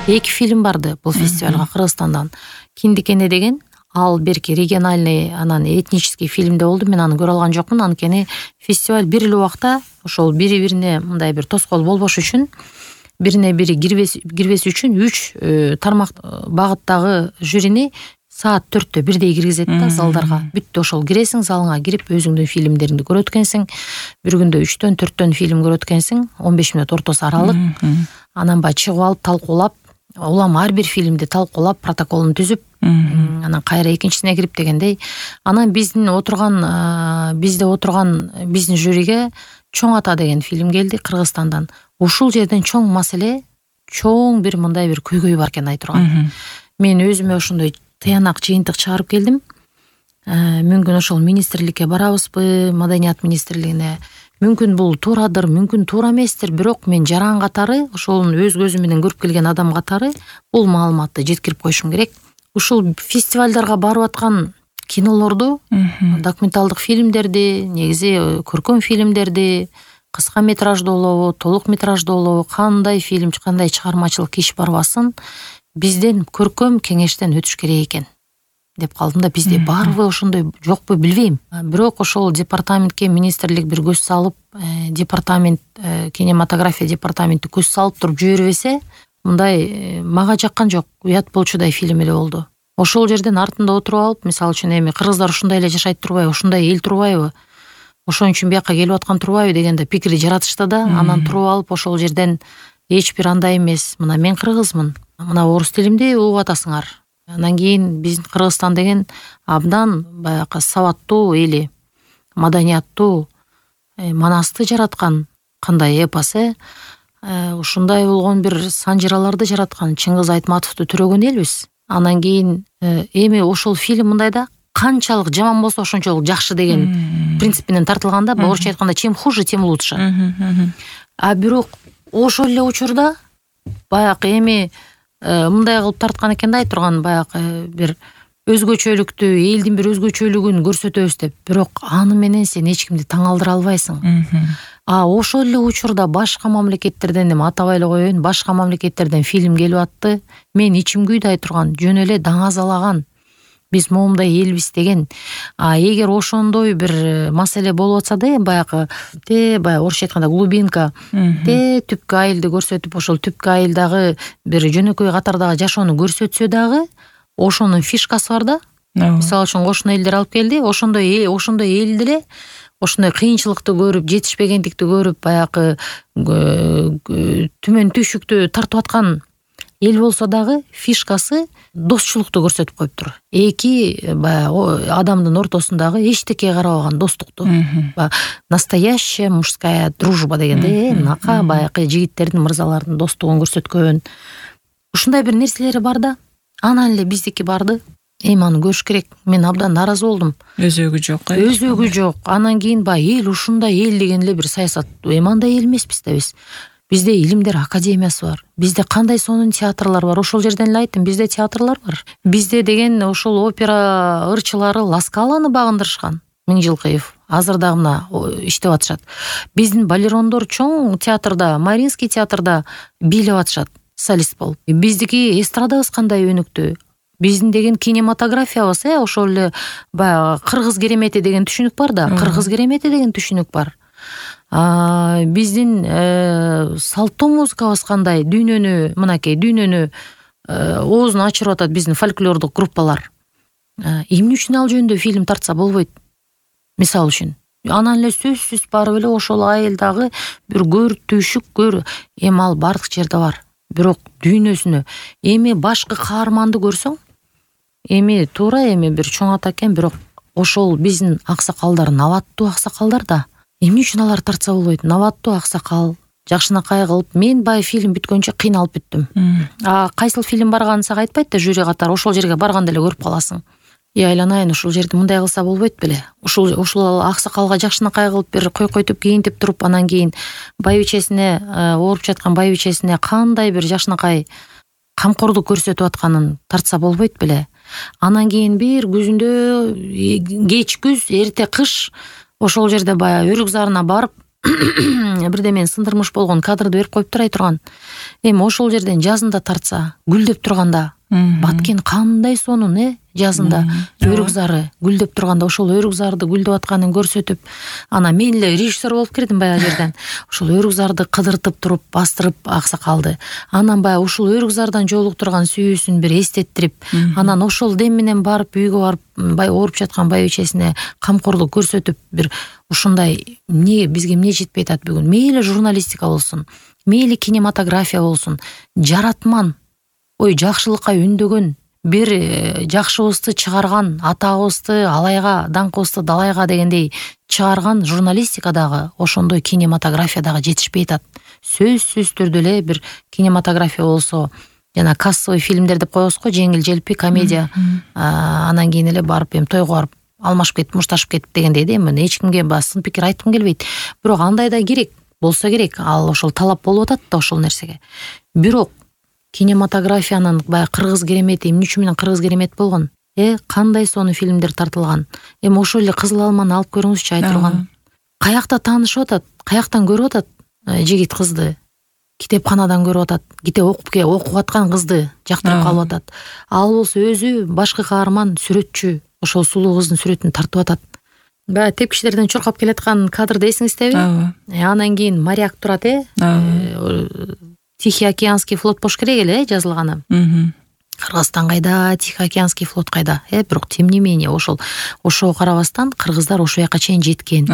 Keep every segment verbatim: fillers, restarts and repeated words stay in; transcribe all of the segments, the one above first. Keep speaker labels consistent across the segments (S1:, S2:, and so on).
S1: Эки фильм барды бул фестивалга Кыргызстандан. Киндикене деген ал берки региональный анан этнический фильмде болду. Мен аны көрө алган жокмун. Анткени фестиваль бир эле убакта ошол бири-бирине мындай бир тоскоол болбош үчүн, бирине бири кирбес үчүн үч тармак багыттагы жюрини саат төрттө бирдей киргизет да залдарга. Бүттү, ошол киресиң, залыңа кирип өзүңдүн фильмдериңди көрөт экенсиң. Бир күндө үчтөн төрттөн фильм көрөт экенсиң. он беш мүнөт ортосу аралык. Анан баягы чыгып алып талкуулап, улам ар бир фильмди талкуулап, протоколун түзүп, анан кайра экинчисине кирип дегендей. Анан биздин отурган бизде отурган биздин жюриге Чоң ата деген фильм келди Кыргызстандан. Ушул жерден чоң маселе, чоң бир мындай бир көйгөй бар экен айтурган. Мен өзүмө ошондой тыянак жыйынтык чыгарып келдим. Мүмкүн ошол министрликке барабызбы, маданият министрлигине. Мүмкүн бул туурадыр, мүмкүн туура эместир, бирок мен жаран катары, ошол өз көзүм менен көрүп келген адам катары бул маалыматты жеткирип коюшум керек. Ушул фестивалдарга барып аткан кинолорду, документалдык фильмдерди, негизи көркөм фильмдерди, кыска метражды болобу, толук метражды болобу, кандай фильм, кандай чыгармачылык иш барбасын, бизден көркөм кеңештен өтүш керек экен деп калдым да. Бизде барбы ошондой, жокпу билбейм. Бирок ошол департаментке министрлик бир көз салып, департамент, кинематография департаменти көз салып туруп жибербесе, мындай мага жаккан жок, уят болчудай фильм эле болду. Ошол жерден артында отуруп алып, мисалы үчүн эми кыргыздар ушундай эле жашайт турбайбы, ушундай эл турбайбы, ошон үчүн бияка келип аткан турбайбы дегенде пикир жаратышты да. Анан туруп алып ошол жерден эч бир андай эмес, мына мен кыргызмын, мына орус тилимди угуп атасыңар. Анан кийин биздин Кыргызстан деген абдан баягы сабаттуу эли, маданияттуу, манасты жараткан кандай эпос, э? Ушундай болгон бир санжыраларды жараткан Чыңгыз Айтматовду төрөгөн элбиз. Анан кийин эми ошол фильм мындай да, канчалык жаман болсо ошончолук жакшы деген принцип менен тартылганда, орусча айтканда чем хуже, тем лучше. А бирок ошол эле учурда баягы эми мындай кылып тарткан экен да, айтурган баягы бир өзгөчөлүктү, элдин бир өзгөчөлүгүн көрсөтөбүз деп. Бирок аны менен сен эч кимди таң алдыра албайсың. А ошол эле учурда башка мамлекеттерден, эми атабай эле коеюн, башка мамлекеттерден фильм келип атты. Мен ичим күйдү айтурган, жөн эле даңазалаган. Биз моундай элбиз деген. А эгер ошондой бир маселе болуп атса да, баягы те баягы орусча айтканда глубинка, те түпкү айылды көрсөтүп, ошол түпкү айылдагы бир жөнөкөй катардагы жашоону көрсөтсө дагы, ошонун фишкасы бар да. Мисалы үчүн кошуна элдер алып келди, ошондой ошондой эл деле ошондой кыйынчылыкты көрүп, жетишпегендикти көрүп, баягы түмөн түйшүктү тартып аткан эл болсо дагы фишкасы достчулукту көрсөтүп коюптур. Эки баягы адамдын ортосундагы эчтекеге карабаган достукту. Настоящая мужская дружба дегенде, мынакай баягы жигиттердин, мырзалардын достугун көрсөткөн. Ушундай бир нерселери бар да. Анан эле биздики барды. Эми аны көрүш керек. Мен абдан нааразы болдум.
S2: Өзөгү жок.
S1: Өзөгү жок. Анан кийин баягы эл ушундай эл деген эле бир саясат. Эми андай эл эмеспиз да биз. Бизде илимдер академиясы бар. Бизде кандай сонун театрлар бар. Ошол жерден эле айттым, бизде театрлар бар. Бизде деген ошол опера ырчылары Ласкаланы багындырышкан. Миңжилкыев азыр дагы мына иштеп атышат. Биздин балерондор чоң театрда, Маринский театрда бийлеп атышат, солист болуп. Биздики эстрадабыз кандай өнүктү. Биздин деген кинематографиябыз, э, ошол эле баягы кыргыз керемети деген түшүнүк бар да, кыргыз керемети деген түшүнүк бар. А биздин салттуу музыкабыз кандай, дүйнөнү, мынакей дүйнөнү оозун ачырып атат биздин фольклордук группалар. Эмне үчүн ал жөнүндө фильм тартса болбойт? Мисалы үчүн. Анан эле сөзсүз барып эле ошол айылдагы бир көр, түйшүк көр, эми ал бардык жерде бар. Бирок дүйнөсүнө эми башкы каарманды көрсөң, эми туура эми бир чоң ата экен, бирок ошол биздин аксакалдар, наваттуу аксакалдар да. Эмне үчүн алар тартса болбойт? Наваттуу аксакал, жакшынакай кылып, мен бай фильм бүткөнчө кыйналып бүттүм. А кайсыл фильм барганын сага айтпайт да жюри катары, ошол жерге барганда эле көрүп каласың. И айланайын, ушул жерде мындай кылса болбойт беле? Ушул ушул аксакалга жакшынакай кылып бир койкойтуп кийинтип туруп, анан кийин байбичесине, ооруп жаткан байбичесине кандай бир жакшынакай камкордук көрсөтүп атканын тартса болбойт беле? Анан кийин бир күзүндө, кеч күз, эрте кыш ошол жерде баягы өрүк зарына барып бирде мен сындырмыш болгон кадрды берип коюп турай турган. Эми ошол жерден жазында тартса, гүлдөп турганда, Баткен кандай сонун, э, жазында өрүк зары гүлдөп турганда, ошол өрүк зарды гүлдөп атканын көрсөтүп, ана мен эле режиссер болуп кирдим баягы жерден. Ошол өрүк зарды кыдыртып туруп, бастырып аксакалды. Анан баягы ушул өрүк зардан жолуктурган сүйүүсүн бир эстеттирип, анан ошол дем менен барып үйгө барып, бай ооруп жаткан байбичесине камкорлук көрсөтүп, бир ушундай эмне бизге эмне жетпей атат бүгүн? Мейли журналистика болсун, мейли кинематография болсун, жаратман, ой жакшылыкка үндөгөн, бир жакшыбызды чыгарган, атабызды алайга, даңкыбызды далайга дегендей чыгарган журналистикадагы ошондой кинематографиядагы жетишпей атат. Сөзсүз түрдө эле бир кинематография болсо, жана кассовый фильмдер деп коебуз го, жеңил желпи комедия, анан кийин эле барып эми тойго барып алмашып кетип, мушташып кетип дегендей да, эми эч кимге сын пикир айткым келбейт. Бирок андай да керек, болсо керек, ал ошол талап болуп атат да ошол нерсеге. Бирок кинематографиянын баягы кыргыз керемети эмне үчүн менен кыргыз керемет болгон? Э, кандай сонун фильмдер тартылган. Эми ошол эле Кызыл алманы алып көрүңүзчү, айтылган. Каякта таанышып атат, каяктан көрүп атат жигит кызды? Китепканадан көрүп атат. Китеп окуп ке, окуп аткан кызды жактырып калып атат. Ал болсо өзү башкы каарман, сүрөтчү, ошол сулуу кыздын сүрөтүн тартып атат. Баягы тепкичтерден чуркап келаткан кадрды эсиңиздеби? Анан кийин моряк турат, э? Тихий океанский флот болуш керек эле, э, жазылганы. Кыргызстан кайда, Тихий океанский флот кайда? Э, бирок тем не менее ошол ошого карабастан кыргыздар ошол жака чейин жеткен.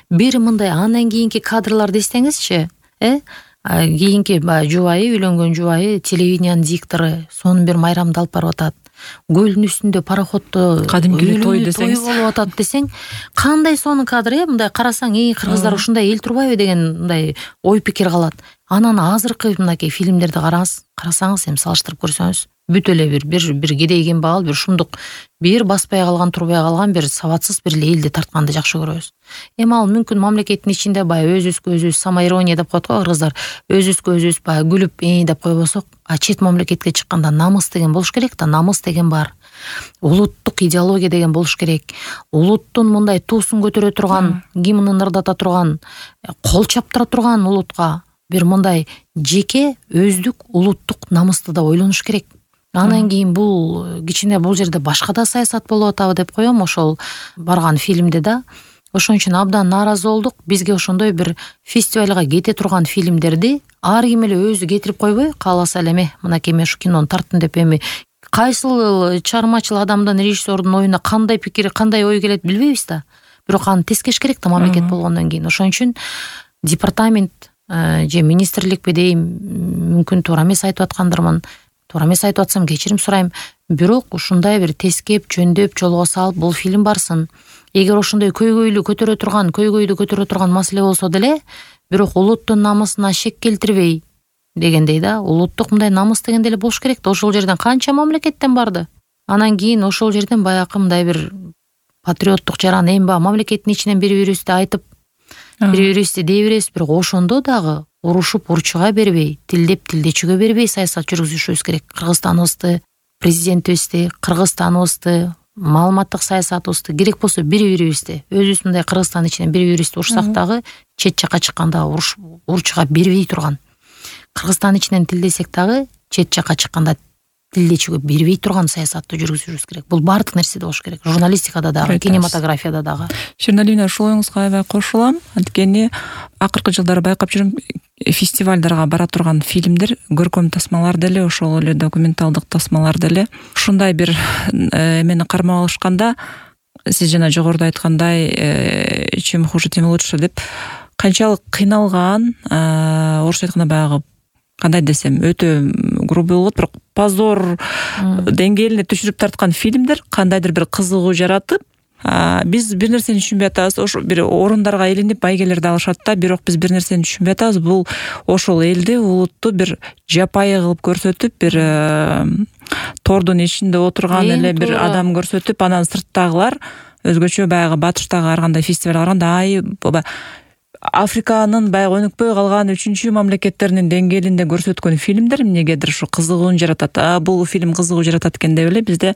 S1: Бир мындай анан кийинки кадрларды эстеңизчи, э? Кийинки баягы жубайы, үйлөнгөн жубайы, телевидениянын диктору сонун бир майрамды алып барып атат. Көлдүн үстүндө пароходдо
S2: кадимки той десеңиз,
S1: той болуп атат десең, кандай сонун кадр, э? Мындай карасаң, э, кыргыздар ушундай эл турбайбы деген мындай ой пикир калат. Анан азыркы мынакей фильмдерди караңыз, карасаңыз, эми салыштырып көрсөңүз, бүт эле бир бир бир кедейген багал, бир шумдук, бир баспай калган, турбай калган, бир сабатсыз бир эле элди тартканды жакшы көрөбүз. Эми ал мүмкүн мамлекеттин ичинде баягы өзүбүзгө өзүбүз самоирония деп коет го кыргыздар, өзүбүзгө өзүбүз баягы күлүп э деп койбосок, а чет мамлекетке чыкканда намыс деген болуш керек да, намыс деген бар. Улуттук идеология деген болуш керек. Улуттун мындай туусун көтөрө турган, гимнин ырдата турган, кол чаптыра турган улутка бир мындай жеке өздүк улуттук намысты да ойлонуш керек. Анан кийин бул кичине бул жерде башка да саясат болуп атабы деп коем ошол барган фильмде да. Ошон үчүн абдан нааразы болдук. Бизге ошондой бир фестивалга кете турган фильмдерди ар ким эле өзү кетирип койбой, кааласа эле эме мынакей мен ушу кинону тарттым деп эми кайсыл чыгармачыл адамдын, режиссердун оюна кандай пикир, кандай ой келет билбейбиз да. Бирок аны тескеш керек да мамлекет болгондон кийин. Ошон үчүн департамент же министрликпи дейм, мүмкүн туура эмес айтып аткандырмын. Туура эмес айтып атсам кечирим сурайм. Бирок ушундай бир тескеп, жөндөп, жолго салып бул фильм барсын. Эгер ошондой көйгөйлү көтөрө турган, көйгөйдү көтөрө турган маселе болсо деле, бирок улуттун намысына шек келтирбей дегендей да, улуттук мындай намыс деген деле болуш керек да. Ошол жерден канча мамлекеттен барды. Анан кийин ошол жерден баягы мындай бир патриоттук жаран эми баягы мамлекеттин ичинен бири-бирибизди айтып, бири-бирибизди дей беребиз, бирок ошондо дагы урушуп урчуга бербей, тилдеп тилдечүүгө бербей саясат жүргүзүшүбүз керек. Кыргызстаныбызды, президентибизди, Кыргызстаныбызды, маалыматтык саясатыбызды, керек болсо бири-бирибизди, өзүбүз мындай Кыргызстан ичинен бири-бирибизди урушсак дагы чет жака чыкканда урчуга бербей турган. Кыргызстан ичинен тилдесек дагы чет жака чыкканда тилдечүүгө бербей турган саясатты жүргүзүшүбүз керек. Бул баардык нерседе болуш керек. Журналистикада дагы, кинематографияда дагы.
S2: Шерналина, ушул оюңузга аябай кошулам. Анткени акыркы жылдары байкап жүрүм, фестивалдарга бара турган фильмдер, көркөм тасмалар деле, ошол эле документалдык тасмалар деле ушундай бир эмени кармап алышканда, сиз жана жогоруда айткандай, чем хуже, тем лучше деп канчалык кыйналган, орусча айтканда баягы кандай десем, өтө грубый болот, бирок позор деңгээлине түшүрүп тарткан фильмдер кандайдыр бир кызыгуу жаратып, биз бир нерсени түшүнбөй атабыз. Ошо бир орундарга илинип байгелерди алышат да, бирок биз бир нерсени түшүнбөй атабыз. Бул ошол элди, улутту бир жапайы кылып көрсөтүп, бир тордун ичинде отурган эле бир адам көрсөтүп, анан сырттагылар өзгөчө баягы батыштагы ар кандай фестивалга барганда, ай Африканын баягы өнүкпөй калган үчүнчү мамлекеттеринин деңгээлинде көрсөткөн фильмдер эмнегедир ушу кызыгууну жаратат. А бул фильм кызыгуу жаратат экен деп эле бизде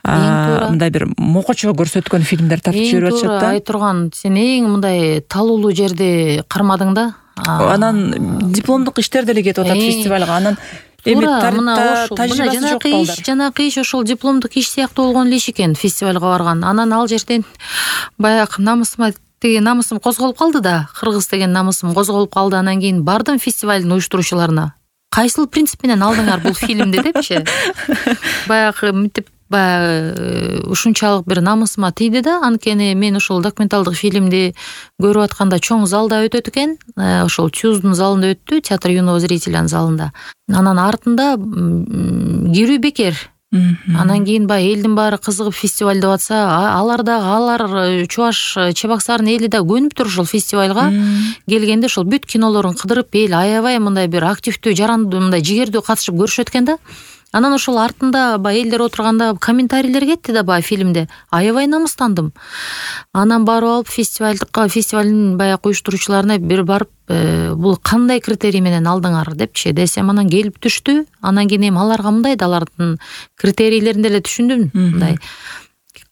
S2: мындай бир мокочо көрсөткөн фильмдер тартып жиберип атышат да.
S1: Айтурган сен эң мындай талуулуу жерди кармадың да.
S2: Анан дипломдук иштер деле кетип атат фестивалга. Анан эми тарыхта тажрыйбасы жок балдар.
S1: Жанакы иш ошол дипломдук иш сыяктуу болгон эле иш экен фестивалга барган. Анан ал жерден баягы намысыма тиги намысым козголуп калды да, кыргыз деген намысым козголуп калды. Анан кийин бардым фестивалдын уюштуруучуларына. Кайсыл принцип менен алдыңар бул фильмди депчи. Баягы мынтип баягы ушунчалык бир намысыма тийди да. Анткени мен ошол документалдык фильмди көрүп атканда чоң залда өтөт экен. Ошол Чуздун залында өттү, театр юного зрителянын залында. Анан артында кирүү бекер. Анан кийин баягы элдин баары кызыгып фестиваль деп атса, алар дагы алар Чуваш Чебоксарынын эли да көнүптүр ошол фестивалга келгенде ошол бүт кинолорун кыдырып, эл аябай мындай бир активдүү, жарандуу, мындай жигердүү катышып көрүшөт экен да. Анан ошол артында баягы элдер отурганда комментарийлер кетти да баягы фильмде. Аябай намыстандым. Анан барып алып фестивалдыкка, фестивалдын баягы уюштуруучуларына бир барып, бул кандай критерий менен алдыңар депчи десем, анан келип түштү. Анан кийин эми аларга мындай да, алардын критерийлерин деле түшүндүм. Мындай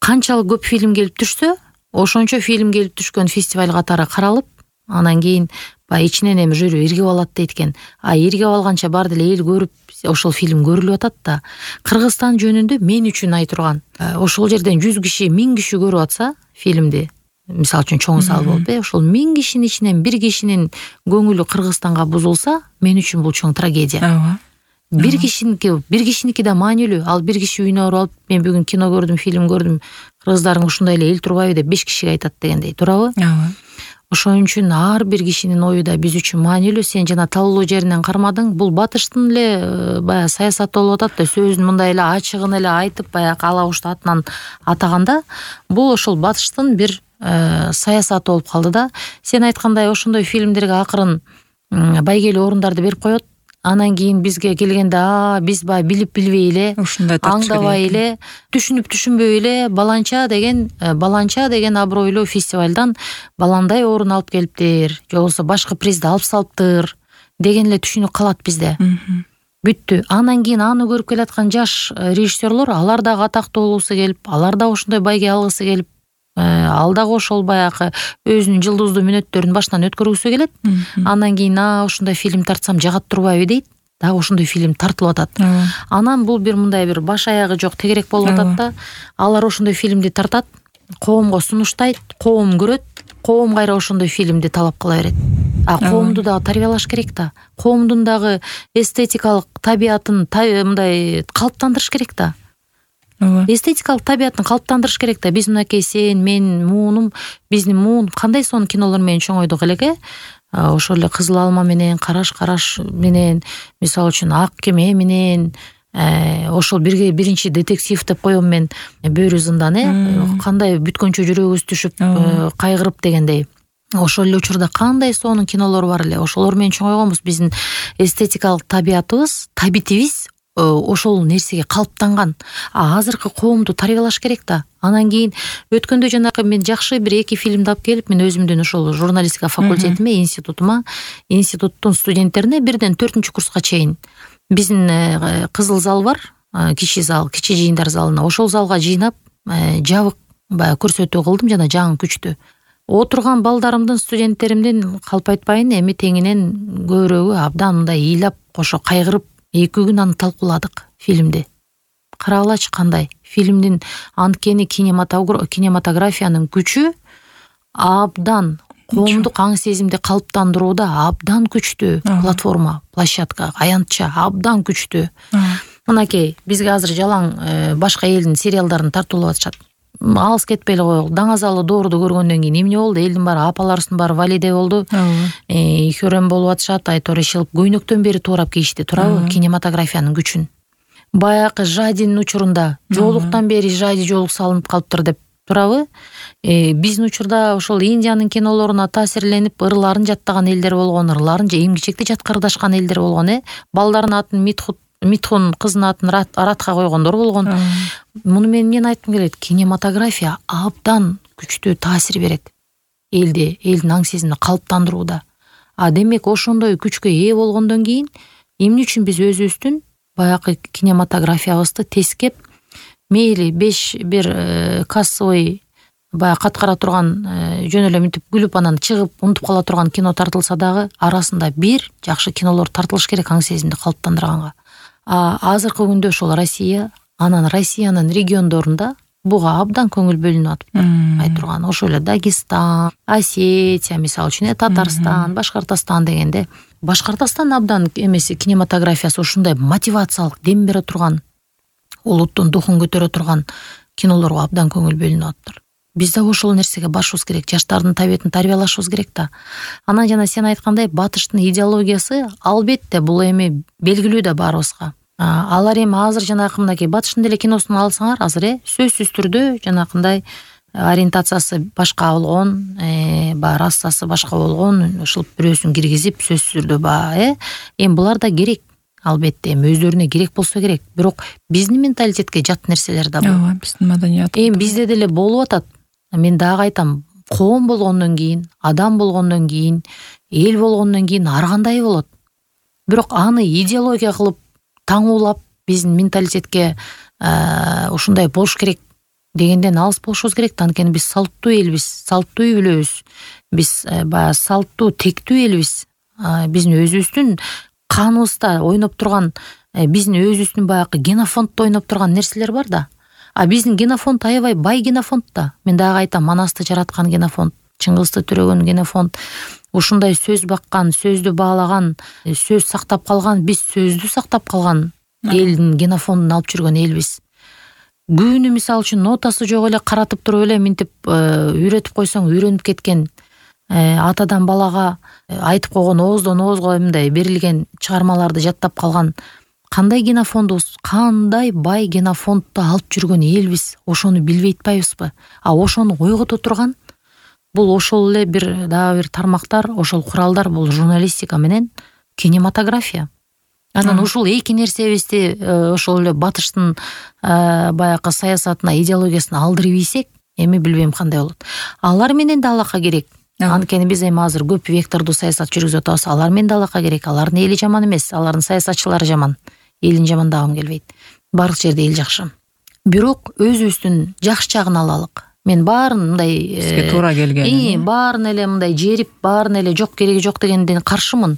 S1: канчалык көп фильм келип түшсө, ошончо фильм келип түшкөн фестиваль катары каралып, анан кийин баягы ичинен эми жюри иргип алат дейт экен. А иргип алганча бар деле эл көрүп ошол фильм көрүлүп атат да. Кыргызстан жөнүндө мен үчүн айтурган, ошол жерден жүз киши, миң киши көрүп атса фильмди, мисалы үчүн чоң зал болуп, э, ошол миң кишинин ичинен бир кишинин көңүлү Кыргызстанга бузулса, мен үчүн бул чоң трагедия.
S2: Ооба.
S1: Бир кишиники, бир кишиники да маанилүү. Ал бир киши үйүнө барып алып, мен бүгүн кино көрдүм, фильм көрдүм, кыргыздарың ушундай эле эл турбайбы деп беш кишиге айтат дегендей, туурабы?
S2: Ооба.
S1: Ошон үчүн ар бир кишинин ою да биз үчүн маанилүү. Сен жана талуулуу жеринен кармадың. Бул батыштын эле баягы саясаты болуп атат да, сөзүн мындай эле ачыгын эле айтып, баягы алабушту атынан атаганда, бул ошол батыштын бир саясаты болуп калды да. Сен айткандай ошондой фильмдерге акырын байгелүү орундарды берип коет. Анан кийин бизге келгенде, а биз баягы билип билбей эле,
S2: ушундай
S1: аңдабай эле, түшүнүп түшүнбөй эле баланча деген баланча деген абройлуу фестивалдан баландай орун алып келиптир, же болбосо башкы призди алып салыптыр деген эле түшүнүк калат бизде. Бүттү. Анан кийин аны көрүп келаткан жаш режиссерлор, алар дагы атактуу болгусу келип, алар дагы ошондой байге алгысы келип, ал дагы ошол баягы өзүнүн жылдыздуу мүнөттөрүн башынан өткөргүсү келет. Анан кийин а ошондой фильм тартсам жагат турбайбы дейт. Дагы ошондой фильм тартылып атат. Анан бул бир мындай бир баш аягы жок тегерек болуп атат да. Алар ошондой фильмди тартат, коомго сунуштайт, коом көрөт, коом кайра ошондой фильмди талап кыла берет. А коомду дагы тарбиялаш керек да. Коомдун дагы эстетикалык табиятын мындай калыптандырыш керек да. Эстетикалык табиятын калыптандырыш керек да. Биз мынакей сен, мен, муунум, биздин муун кандай сонун кинолор менен чоңойдук элеке. Ошол эле Кызыл алма менен, Караш караш менен, мисалы үчүн Ак кеме менен, ошол бирге биринчи детектив деп коем мен, Бөрү зындан, э, кандай бүткөнчө жүрөгүбүз түшүп, кайгырып дегендей. Ошол эле учурда кандай сонун кинолор бар эле. Ошолор менен чоңойгонбуз. Биздин эстетикалык табиятыбыз, табитибиз ошол нерсеге калыптанган. А азыркы коомду тарбиялаш керек да. Анан кийин өткөндө жанакы мен жакшы бир эки фильмди алып келип, мен өзүмдүн ошол журналистика факультетиме, институтума, институттун студенттерине бирден төртүнчү курска чейин биздин кызыл зал бар, кичи зал, кичи жыйындар залына. Ошол залга жыйнап, жабык баягы көрсөтүү кылдым жана жаңы күчтү. Отурган балдарымдын, студенттеримдин калп айтпайын, эми теңинен көбүрөгү абдан мындай ыйлап, кошо кайгырып, эки күн аны талкууладык фильмди. Карагылачы кандай фильмдин, анткени кинематографиянын күчү абдан, коомдук аң сезимди калыптандырууда абдан күчтүү платформа, площадка, аянтча абдан күчтүү. Мынакей бизге азыр жалаң башка элдин сериалдарын тартуулап атышат. Алыс кетпей эле коелу. Даңазалы доорду көргөндөн кийин эмне болду? Элдин баары, апаларыбыздын баары валиде болду. Хөрөм болуп атышат, айтор ишилип көйнөктөн бери туурап кийишти, туурабы? Кинематографиянын күчүн. Баягы Жадинин учурунда жоолуктан бери Жади жоолук салынып калыптыр деп, туурабы? Биздин учурда ошол Индиянын кинолоруна таасирленип, ырларын жаттаган элдер болгон, ырларын же эмгичекти жаткырдашкан элдер болгон, э? Балдардын атын Митхут Митхун, кыздын атын Аратка койгондор болгон. Муну мен эмнени айткым келет? Кинематография абдан күчтүү таасир берет элди, элдин аң сезимин калыптандырууда. А демек ошондой күчкө ээ болгондон кийин эмне үчүн биз өзүбүздүн баягы кинематографиябызды тескеп, мейли беш бир кассовый баягы каткара турган жөн эле мынтип күлүп анан чыгып унутуп кала турган кино тартылса дагы арасында бир жакшы кинолор тартылыш керек аң сезимди калыптандырганга. А азыркы күндө ошол Россия, анан Россиянын региондорунда буга абдан көңүл бөлүнүп атыптыр. Айт турган ошол эле Дагестан, Осетия, мисалы үчүн Татарстан, Башкортостан дегенде Башкортостан абдан эмеси кинематографиясы ушундай мотивациялык дем бере турган, улуттун духун көтөрө турган кинолорго абдан көңүл бөлүнүп атыптыр. Биз да ошол нерсеге барышыбыз керек, жаштардын табиятын тарбиялашыбыз керек да. Анан жана сен айткандай батыштын идеологиясы албетте бул эми белгилүү да баарыбызга. Алар эми азыр жанагы мынакей батыштын деле киносун алсаңар азыр э сөзсүз түрдө жанакындай ориентациясы башка болгон, э баягы расасы башка болгон, ушул бирөөсүн киргизип сөзсүз түрдө баягы э эми булар да керек. Албетте эми өздөрүнө керек болсо керек. Бирок биздин менталитетке жат нерселер да бар.
S2: Ооба, биздин маданият.
S1: Эми бизде деле болуп атат. Мен дагы айтам, коом болгондон кийин, адам болгондон кийин, эл болгондон кийин ар кандай болот. Бирок аны идеология кылып таңуулап биздин менталитетке ушундай болуш керек дегенден алыс болушубуз керек да. Анткени биз салттуу элбиз, салттуу үй бүлөбүз. Биз баягы салттуу, тектүү элбиз. Биздин өзүбүздүн каныбызда ойноп турган, биздин өзүбүздүн баягы генофонддо ойноп турган нерселер бар да. А биздин генофонд аябай бай генофонд да. Мен дагы айтам, Манасты жараткан генофонд, Чыңгызды төрөгөн генофонд, ушундай сөз баккан, сөздү баалаган, сөз сактап калган, биз сөздү сактап калган элдин генофондун алып жүргөн элбиз. Күнү мисалы үчүн нотасы жок эле каратып туруп эле мынтип үйрөтүп койсоң үйрөнүп кеткен, атадан балага айтып койгон, ооздон оозго мындай берилген чыгармаларды жаттап калган кандай генофондубуз, кандай бай генофондду алып жүргөн элбиз, ошону билбей атпайбызбы? А ошону ойгото турган бул ошол эле бир дагы бир тармактар, ошол куралдар, бул журналистика менен кинематография. Анан ушул эки нерсебизди ошол эле батыштын баягы саясатына, идеологиясына алдырып ийсек, эми билбейм кандай болот. Алар менен да алака керек. Анткени биз эми азыр көп вектордуу саясат жүргүзүп атабыз. Алар менен да алака керек. Алардын эли жаман эмес, алардын саясатчылары жаман. Элин жамандагым келбейт. Бардык жерде эл жакшы. Бирок өзүбүздүн жакшы жагын алалык. Мен баарын мындай
S2: бизге туура келген,
S1: баарын эле мындай жерип, баарын эле жок кереги жок дегенден каршымын.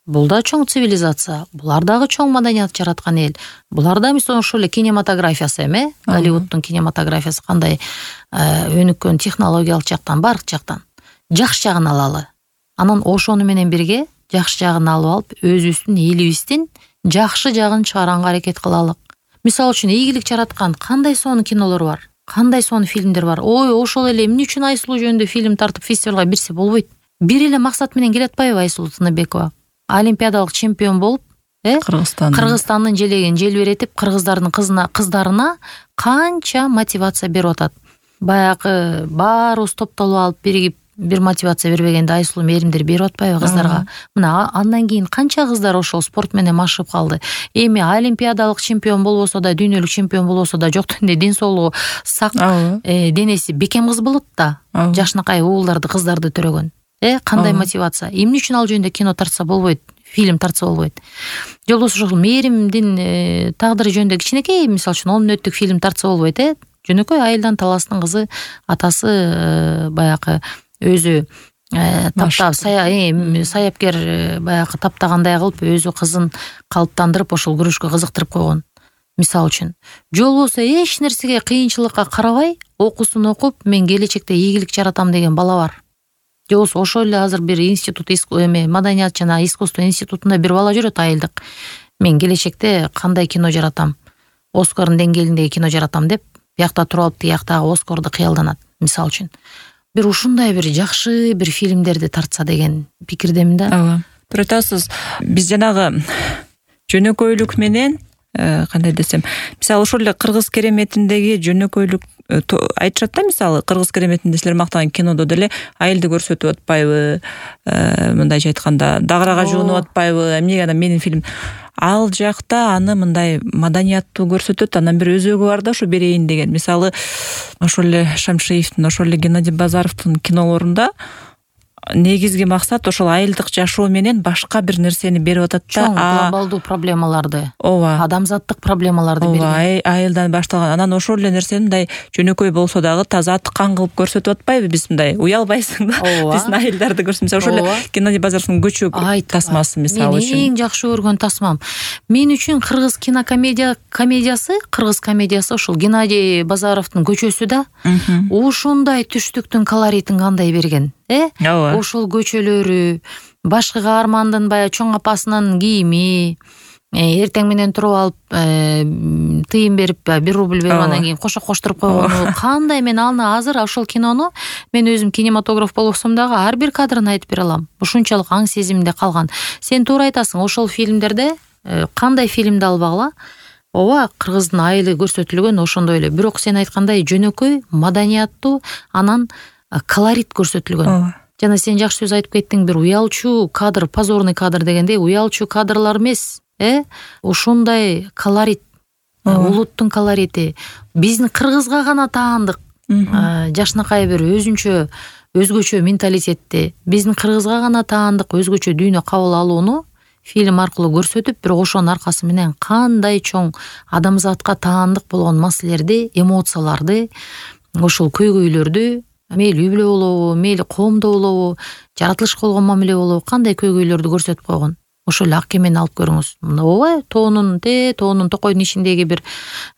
S1: Бул да чоң цивилизация, булар дагы чоң маданият жараткан эл. Булар да мисалы ошол эле кинематографиясы эме, Голливуддун кинематографиясы кандай өнүккөн технологиялык жактан, бардык жактан жакшы жагын алалы. Анан ошону менен бирге жакшы жагын алып алып, өзүбүздүн элибиздин жакшы жагын чыгаранга аракет кылалык. Мисалы үчүн ийгилик жараткан кандай сонун кинолор бар, кандай сонун фильмдер бар. Ой, ошол эле эмне үчүн Айсулуу жөнүндө фильм тартып фестивалга бирсе болбойт? Бир эле максат менен келе атпайбы Айсулуу Тыныбекова? Олимпиадалык чемпион болуп, э? Кыргызстандын Кыргызстандын желегин желбиретип, кыргыздардын кызына, кыздарына канча мотивация берип атат. Баягы баарыбыз топтолуп алып биригип бир мотивация бербегенде Айсулуу мээримдер берип атпайбы кыздарга? Мына андан кийин канча кыздар ошол спорт менен машыгып калды. Эми олимпиадалык чемпион болбосо да, дүйнөлүк чемпион болбосо да, жок дегенде ден соолугу сак, денеси бекем кыз болот да. Жашынакай уулдарды, кыздарды төрөгөн. Э, кандай мотивация? Эмне үчүн ал жөнүндө кино тартса болбойт, фильм тартса болбойт? Же болбосо ошол мээримдин тагдыры жөнүндө кичинекей, мисалы үчүн он мүнөттүк фильм тартса болбойт, э? Жөнөкөй айылдан таластын кызы, атасы баягы өзү таптап, саяпкер баягы таптагандай кылып, өзү кызын калыптандырып, ошол күрөшкө кызыктырып койгон. Мисалы үчүн. Же болбосо эч нерсеге, кыйынчылыкка карабай, окуусун окуп, мен келечекте ийгилик жаратам деген бала бар. Же болбосо ошол эле азыр бир институт, эме маданият жана искусство институтунда бир бала жүрөт айылдык. Мен келечекте кандай кино жаратам, Оскардын деңгээлиндеги кино жаратам деп, биякта туруп алып, тияктагы Оскарды кыялданат, мисалы үчүн. Бир ушундай бир жакшы бир фильмдерди тартса деген пикирдемин да.
S2: Ооба. Бирок атасыз, биз жанагы жөнөкөйлүк менен кандай десем, мисалы ошол эле Кыргыз кереметиндеги жөнөкөйлүк айтышат да, мисалы Кыргыз кереметинде силер мактаган кинодо деле айылды көрсөтүп атпайбы, мындайча айтканда дагырага жуунуп атпайбы, эмнеге анан менин фильм. Ал жакта аны мындай маданияттуу көрсөтөт, анан бир өзөгү бар да, ушу берейин деген. Мисалы ошол эле Шамшиевдин, ошол эле Геннадий Базаровдун кинолорунда негизги максат ошол айылдык жашоо менен башка бир нерсени берип атат да.
S1: Чоң глобалдуу проблемаларды,
S2: ооба,
S1: адамзаттык проблемаларды берген.
S2: Ооба, айылдан башталган. Анан ошол эле нерсени мындай жөнөкөй болсо дагы таза аткан кылып көрсөтүп атпайбы? Биз мындай уялбайсың да. Биздин айылдарды көрсөм, мисалы ошол эле Геннадий Базаровдун көчө тасмасы мисалы үчүн.
S1: Мен эң жакшы көргөн тасмам. Мен үчүн кыргыз кинокомедия комедиясы, кыргыз комедиясы ошол Геннадий Базаровдун көчөсү да. Ошондой түштүктүн колоритин кандай берген, э? Ошол көчөлөрү, башкы каармандын баягы чоң апасынын кийими, эртең менен туруп алып тыйын берип бир рубль берип анан кийин кошо коштуруп койгону кандай. Мен аны азыр ошол кинону мен өзүм кинематограф болсом дагы ар бир кадрын айтып бере алам. Ушунчалык аң сезимде калган. Сен туура айтасың, ошол фильмдерде кандай фильмди албагыла, ооба, кыргыздын айылы көрсөтүлгөн ошондой эле. Бирок сен айткандай жөнөкөй, маданияттуу, анан колорит көрсөтүлгөн. Жана сен жакшы сөз айтып кеттиң, бир уялчу кадр, позорный кадр дегендей, уялчу кадрлар эмес, э? Ошондой колорит, улуттун колорити, биздин кыргызга гана таандык. Жашынакай бир өзүнчө, өзгөчө менталитетти, биздин кыргызга гана таандык өзгөчө дүйнө кабыл алууну фильм аркылуу көрсөтүп, бирок ошонун аркасы менен кандай чоң адамзатка таандык болгон маселелерди, эмоцияларды, ошол көйгөйлөрдү, мейли үй бүлө болобу, мейли коомдо болобу, жаратылышка болгон мамиле болобу, кандай көйгөйлөрдү көрсөтүп койгон. Ошол эле ак кемени алып көрүңүз. Ооба, тоонун, те, тоонун токойдун ичиндеги бир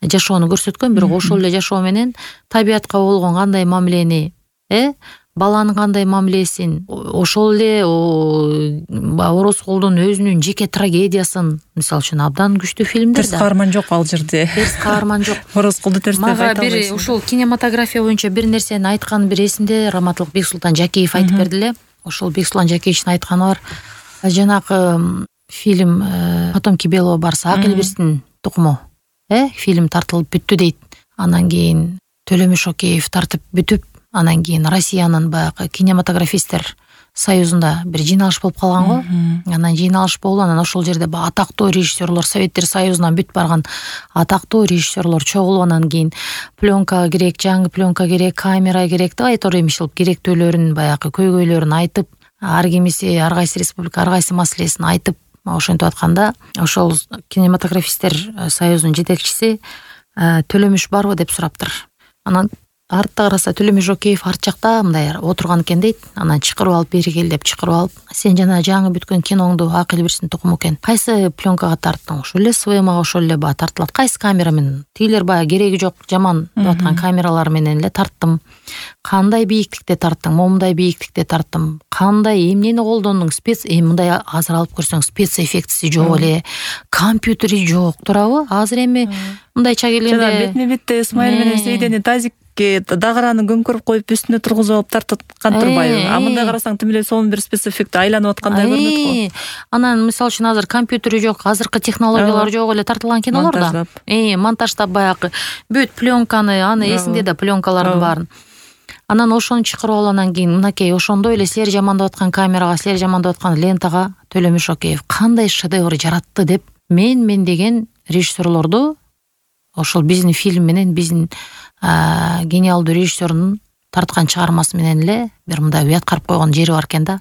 S1: жашоону көрсөткөн, бирок ошол эле жашоо менен табиятка болгон кандай мамилени, э? Баланын кандай мамилесин, ошол эле Орозкулдун өзүнүн жеке трагедиясын, мисалы үчүн абдан күчтүү фильмдер да.
S2: Терс каарман жок ал жерде.
S1: Терс каарман жок.
S2: Орозкулду терс деп айта албайсың.
S1: Мага бир ушул кинематография боюнча бир нерсени айткан бир эсимде, Раматылык Бексултан Жакиев айтып берди эле. Ошол Бексултан Жакиевичтин айтканы бар. Жанагы фильм Потомки белого барса, Акыл Бирстин тукуму, э? Фильм тартылып бүттү дейт. Анан кийин Төлөмүш Океев тартып бүтүп, анан кийин Россиянын баягы кинематографисттер союзунда бир жыйналыш болуп калган го. Анан жыйналыш болду, анан ошол жерде баягы атактуу режиссерлор, Советтер Союзунан бүт барган атактуу режиссерлор чогулуп, анан кийин пленка керек, жаңы пленка керек, камера керек деп айтор эмишил, керектүүлөрүн, баягы көйгөйлөрүн айтып, ар кимиси, ар кайсы республика, ар кайсы маселесин айтып, ошентип атканда, ошол кинематографисттер союзунун жетекчиси Төлөмүш барбы деп сураптыр. Анан артта караса Төлөмүш Океев арт жакта мындай отурган экен дейт. Анан чакырып алып, бери кел деп чакырып алып, сен жана жаңы бүткөн киноңду Акыл Бирстин тукуму экен, кайсы пленкага тарттың? Ошол эле СВМга ошол эле баа тартылат. Кайсы камера менен? Тигилер баягы кереги жок, жаман деп аткан камералар менен эле тарттым. Кандай бийиктикте тарттың? Момундай бийиктикте тарттым. Кандай эмнени колдондуң? Спец, эми мындай азыр алып көрсөң спецэффектиси жок эле, компьютери жок, туурабы? Азыр эми мындайча келгенде
S2: жана бетме бетте Исмаил менен Сейдени тазикке дагыраны көмкөрүп коюп үстүнө тургузуп алып тарткан турбайбы? А мындай карасаң тим эле сонун бир спецэффект айланып аткандай көрүнөт го.
S1: Анан мисалы үчүн азыр компьютери жок, азыркы технологиялар жок эле тартылган кинолор да. Э, монтаждап баягы бүт пленканы, аны эсиңде да пленкалардын баарын. Анан ошону чакырып алып, анан кийин мынакей ошондой эле силер жамандап аткан камерага, силер жамандап аткан лентага Төлөмүш Океев кандай шедевр жаратты деп мен мен деген режиссерлорду ошол биздин фильм менен биздин гениалдуу режиссердун тарткан чыгармасы менен эле бир мындай уяткарып койгон жери бар экен да.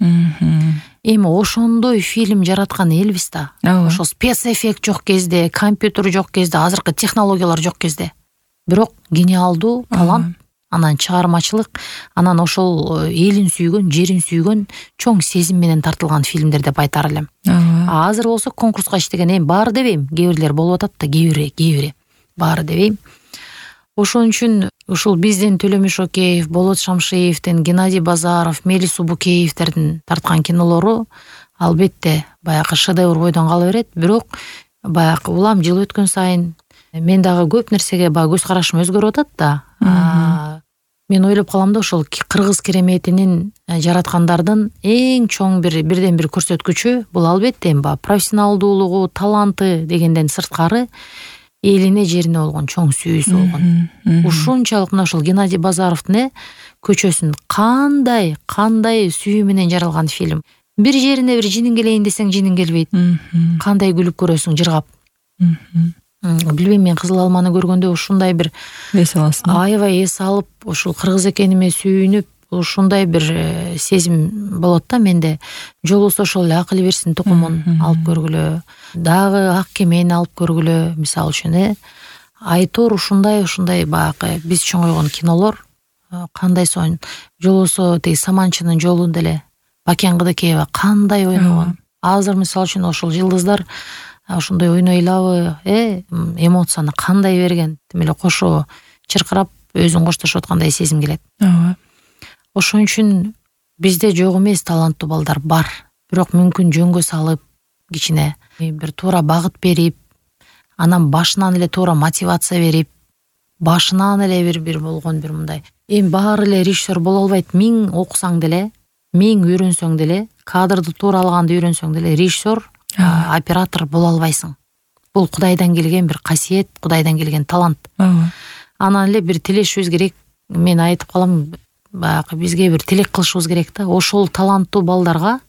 S1: Эми ошондой фильм жараткан элбиз да. Ошол спецэффект жок кезде, компьютер жок кезде, азыркы технологиялар жок кезде. Бирок гениалдуу талант, анан чыгармачылык, анан ошол элин сүйгөн, жерин сүйгөн чоң сезим менен тартылган фильмдер деп айтар элем. Азыр болсо конкурска иштеген, эми баары дебейм, кээ бирлер болуп атат да, кээ бири, кээ бири баары дебейм. Ошон үчүн ушул биздин Төлөмүш Океев, Болот Шамшиевдин, Геннадий Базаров, Мелис Убукеевдердин тарткан кинолору албетте баягы шедевр бойдон кала берет. Бирок баягы улам жыл өткөн сайын мен дагы көп нерсеге баягы көз карашым өзгөрүп атат да. Мен ойлоп калам да, ошол кыргыз кереметинин жараткандардын эң чоң бир бирден бир көрсөткүчү бул албетте эми баягы профессионалдуулугу, таланты дегенден сырткары элине, жерине болгон чоң сүйүүсү болгон. Ушунчалык мына ушул Геннадий Базаровдун көчөсүн кандай, кандай сүйүү менен жаралган фильм. Бир жерине бир жинин келейин десең жинин келбейт. Кандай күлүп көрөсүң жыргап. Билбейм, мен Кызыл алманы көргөндө ушундай бир
S2: эс аласың.
S1: Аябай эс алып, ушул кыргыз экениме сүйүнүп, ушундай бир сезим болот да менде. Жолубуз ошол эле акыл берсин тукумун алып көргүлө, дагы ак кемени алып көргүлө, мисалы үчүн э Айтор ушундай ушундай баягы биз чоңойгон кинолор кандай сонун. Жолосо тиги Саманчынын жолун деле Бакен Кыдыкеева кандай ойногон. Азыр мисалы үчүн ошол жылдыздар ошондой ойнойлабы, э эмоцияны кандай берген, тим эле кошо чыркырап өзүн коштошуп аткандай сезим келет.
S2: Ооба.
S1: Ошон үчүн бизде жок эмес таланттуу балдар бар. Бирок мүмкүн жөнгө салып, кичине бир туура багыт берип, анан башынан эле туура мотивация берип, башынан эле бир бир болгон бир мындай. Эми баары эле режиссер боло албайт. Миң окусаң деле, миң үйрөнсөң деле, кадрды туура алганды үйрөнсөң деле режиссер, оператор боло албайсың. Бул Кудайдан келген бир касиет, Кудайдан келген талант. Анан эле бир тилешибиз керек. Мен айтып калам, баягы бизге бир тилек кылышыбыз керек да. Ошол таланттуу балдарга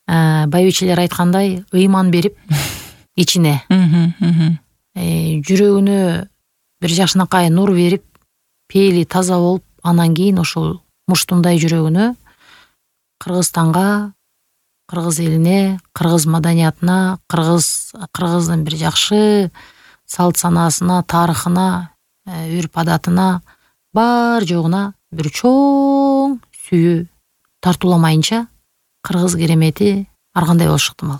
S1: байбичелер айткандай ыйман берип, ичине жүрөгүнө бир жакшынакай нур берип, пейили таза болуп, анан кийин ошол муштундай жүрөгүнө Кыргызстанга, кыргыз элине, кыргыз маданиятына, кыргыз кыргыздын бир жакшы салт санаасына, тарыхына, үрп адатына, бар жогуна бир чоң сүйүү тартууламайынча кыргыз керемети ар кандай болушу ыктымал.